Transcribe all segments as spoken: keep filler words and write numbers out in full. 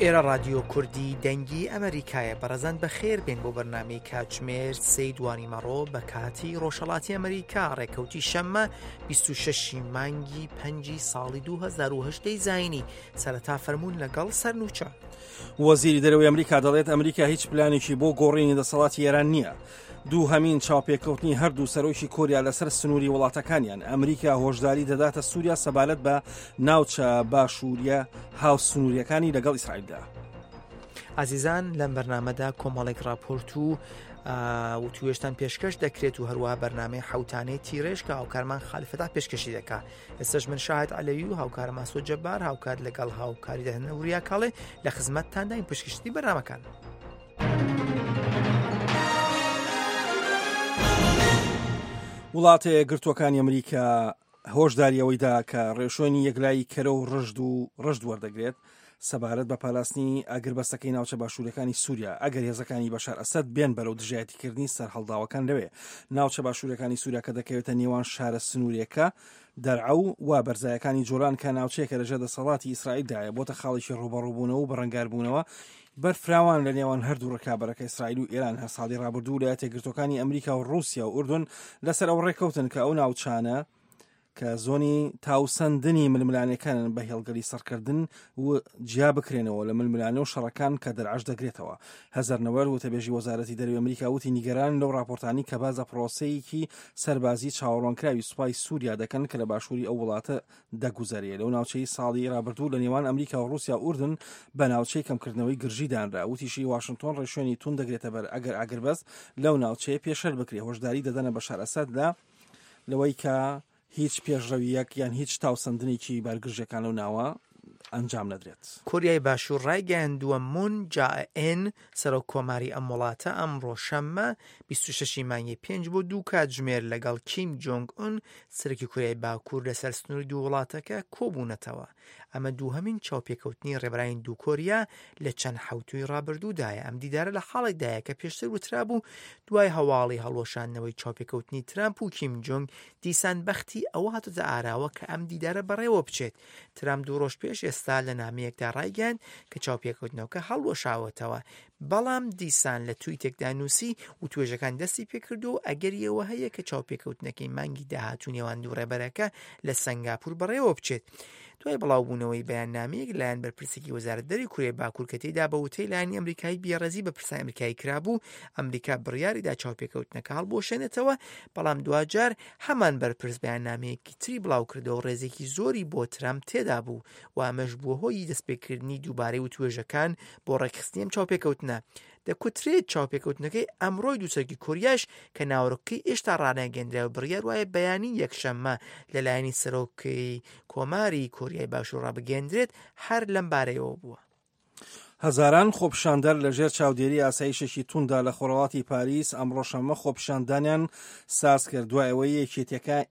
ئێرە ڕادیۆ کوردی دەنگی ئەمریکایە. بەڕێزان بەخێر بێن بۆ بەرنامەی کاتژمێر سێی دوانیمەڕۆ بە کاتی ڕۆژهەڵاتی ئەمریکا، ڕێکەوتی شەممە بیست و شەش مانگی پەنجی ساڵی دوو هەزار و هەژدە زایینی. سەرەتا فەرموون لەگەڵ سەرنوچە. وەزیری دەرەوەی ئەمریکا دەڵێت ئەمریکا هیچ پلانێکی بۆ گۆڕینی دەسەڵاتی ئێران نییە. دووهەمین چاوپێکەوتنی هەردوو سەرۆکی کۆریا لەسەر سنووری وڵاتەکانیان. ئەمریکا هۆشداری دەداتە سووریا سەبارەت بە ناوچە باشووریە هاوسنووریەکانی لەگەڵ ئیسرائیلدا. عزیزان لەم بەرنامەدا کۆمەڵێک راپۆرت و وتوێژتان پێشکەش دەکرێت و هەروەها بەرنامەی حوتانەی تیرێژ کە هاوکارمان خالیفەتا پێشکەشی دەکا. ئێستاش من شاهد عەلەوی و هاوکارم ئاسۆ جەبار هاوکار لەگەڵ هاوکاری دەهێنە وریا کاڵێ لە خزمەتتانداین پێشکەشی بەرنامەکان. وڵاتە یەکگرتووەکانی ئەمریکا هۆشداری ئەوەیدا کە ڕێوشوێنی یەکلایی کەرە و ڕژد و ڕژد وەردەگرێت سەبارەت بە پاراستنی ئاگربەستەکەی ناوچە باشوورەکانی سووریا ئەگەر هێزەکانی بەشار ئەسەد بێن بەرەو دژایەتیکردنی سەرهەڵداوەکان لەوێ. ناوچە باشوورەکانی سووریا کە دەکەوێتە نێوان شارە سنوورێکە دەرعە و بەرزایەکانی جۆلان کە ناوچەیەکە لەژێر دەسەڵاتی ئیسرائیلدایە بۆتە خاڵێکی ڕووبەڕووبوونەوە و بەڕەنگاربوونەوە بەرفراوان لە نێوان هەردوو ڕکابەرەکە ئیسرائیل و ئێران. هەر ساڵی ڕابردوو ویلایەتە یەکگرتووەکانی ئەمریکا و ڕووسیا و ئوردن لەسەر ئەو ڕێککەوتن کە ئەو ناوچانە کە زۆنی تاوسەندنی ململانەکانن بە هێڵگەلی سەرکردن و جیا بکرێنەوە لە ململانە و شەڕەکان کە دەرعەش دەگرێتەوە. هەزار نەوەر وتەبێژی وەزارەتی دەرەوەی ئەمریکا وتی نیگەران لەو راپۆرتانی کە باز لە پرۆسەیەکی سەربازی چاوەڕوانکراوی سوپای سووریا دەکەن کە لە باشووری ئەو وڵاتە دەگوزەرێ. لەو ناوچەی ساڵی ڕابردوو لە نێوان ئەمریکا و ڕووسیا و ئوردن بە ناوچەی کەمکردنەوەی گرژی دانرا. وتیشی واشنگتۆن ڕێوشوێنی توند دەگرێتە بەر ئەگەر ئاگربەست لەو ناوچەیە پێشەل بکرێ. هۆشداری دەدەنە بەشار ئەسەد لە لەوەی کە هیچ پێشڕەویەک یان هیچ تاوسەندنێکی بارگرژەکان لەو ناوە ئەنجام نەدرێت. کۆریای باشوور ڕایگەیاندووە مون جا-ئێن سەرۆک کۆماری ئەم وڵاتە ئەمڕۆ شەممە بیست و شەش مانگی پێنج بۆ دوو کاتژمێر لەگەڵ کیم جۆنگ ئون سەرۆکی کۆریای باکوور لەسەر سنووری دوو وڵاتەکە کۆبوونەتەوە. ئەمە دووهەمین چاوپێکەوتنی ڕێبەرانی دوو کۆریا لە چەند حەوتووی ڕابردوودایە. ئەم دیدارە لە حاڵێکدایە کە پێشتر وترابوو دوای هەواڵی هەڵوەشاندنەوەی چاوپێکەوتنی ترامپ و کیم جۆنگ دیسان بەختی ئەوە هاتۆتە ئاراوە کە ئەم دیدارە بەڕێوە بچێت. ترامپ دوو ڕۆژ پێش ئێستا لە نامەیەکدا ڕایگەیاند کە چاوپێکەوتنەوەکە هەڵوەشاوەتەوە، بەڵام دیسان لە تویتێکدا نووسی و توێژەکان دەستی پێکردو و ئەگەریەوە هەیە کە چاوپێکەوتنەکەی مانگی داهاتوو نێوان دوو ڕێبەرەکە لە سەنگاپور بەڕێوە بچێت. دوای بڵاوبوونەوەی بەیاننامەیەک لایەن بەرپرسێکی وەزارەت دەری کوریای باکوور کە تێیدا بە وتەی لایەنی ئەمریکایی بێڕێزی بە پرسانی ئەمریکایی کرابوو، ئەمریکا بڕیاریدا چاوپێکەوتنەکە هەڵبوەشێنێتەوە، بەڵام دواجار هەمان بەرپرس بەیاننامەیەکی تری بڵاوکردەوە ڕێزێکی زۆری بۆ ترامپ تێدا بوو و ئەمەش بووە هۆی دەستپێکردنی دووبارەی وتوێژەکان بۆ ڕێکخستنی ئەم چاوپێکەوتنە. دەکوترێت چاوپێکەوتنەکەی ئەمڕۆی دووسەرکی کۆریاش کە ناوەڕۆکەکەی ئێشتا ڕانەگەندرا و بڕیار وایە بەیانی یەکشەممە لەلایەنی سەرۆکی کۆماری کۆریای باشوور ڕابگەندرێت هەر لەم بارەیەوە بووە. هەزاران خۆپیشاندەر لەژێر چاودێری ئاسایشێکی توندا لە خۆرهەڵاتی پاریس ئەمڕۆ شەممە خۆپیشاندانیان ساز کرد دوای ئەوەی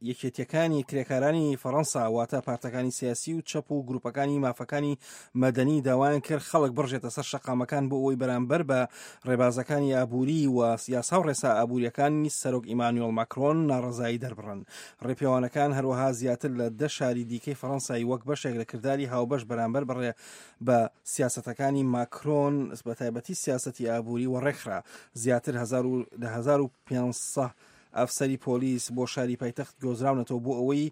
یەکێتیەکانی کرێکارانی فەڕەنسا واتە پارتەکانی سیاسی و چەپ و گروپەکانی مافەکانی مەدەنی داوایان کرد خەڵک بڕژێتە سەر شەقامەکان بۆ ئەوەی بەرامبەر بە ڕێبازەکانی ئابووری و یاسا و ڕێسا ئابووریەکانی سەرۆک ئیمانوێل ماکرۆن ناڕەزایی دەربڕن. ڕێپێوانەکان هەروەها زیاتر لە دە شاری دیکەی فەڕەنسای وەک بەشێک لە کرداری هاوبەش بەرامبەر بەڕێ بە سیاسەتەکانی ماکرۆن بە تایبەتی سیاسەتی ئابووری و ڕێکخرا. زیاتر لە هەزار و پێنج سەد ئەفسەری پۆلیس بۆ شاری پایتەخت گۆزراونەتەوە بۆ ئەوەی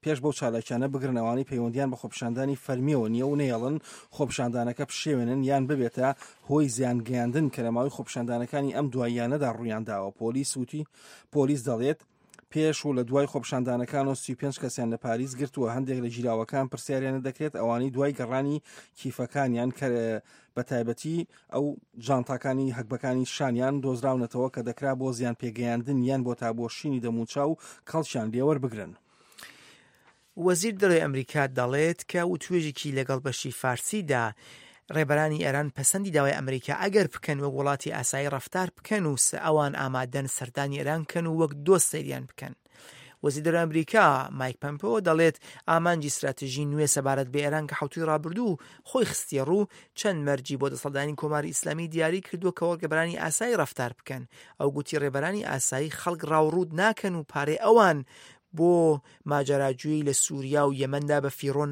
پێش بەو چالاکیانە بگرن ئەوانەی پەیوەندیان بە خۆپیشاندانی فەرمیەوە نییە و نەیەڵن خۆپیشاندانەکە پشێوێنن یان ببێتە هۆی زیانگەیاندن کە لە ماوەی خۆپیشاندانەکانی ئەم دواییانەدا ڕوویانداوە. پۆلیس وتی پۆلیس دەڵێت پێش و لە دوای خۆپیشاندانەکان و سی و پێنج کەسیان لە پاریس گرتووە. هەندێک لە گیراوەکان پرسیاریانە دەکرێت ئەوانەی دوای گەڕانی کیفەکانیان کە بە تایبەتی ئەو جانتاکانی هەگبەکانی شانیان دۆزراونەتەوە کە دەکرا بۆ زیان پێگەیاندن یان بۆ تابۆشینی دەموچاو کەڵکیان لێوەربگرن. وەزیر دەرەوەی ئەمریکا دەڵێت کە وتوێژێکی لەگەڵ بەشی فارسیدا ڕێبەرانی ئێران پەسەندی داوای ئەمریکا ئەگەر بکەن وەک وڵاتی ئاسایی ڕەفتار بکەن و ئەوان ئامادەن سەردانی ئێران بکەن و وەک دۆست سەیریان بکەن. وەزیر دەرەوەی ئەمریکا مایک پەمپۆ دەڵێت ئامانجی ستراتیژی نوێ سەبارەت بە ئێران کە حەوتووی ڕابردوو خۆی خستیە ڕوو چەند مەرجی بۆ دەسەڵاتدانی کۆماری ئیسلامی دیاری کردووە کە وەک ڕێبەرانی ئاسایی ڕەفتار بکەن. ئەو گوتی ڕێبەرانی ئاسایی خەڵک ڕاوڕووت ناکەن و پارەی ئەوان بۆ ماجەراجووی لە سووریا و یەمەندا بە فیڕۆ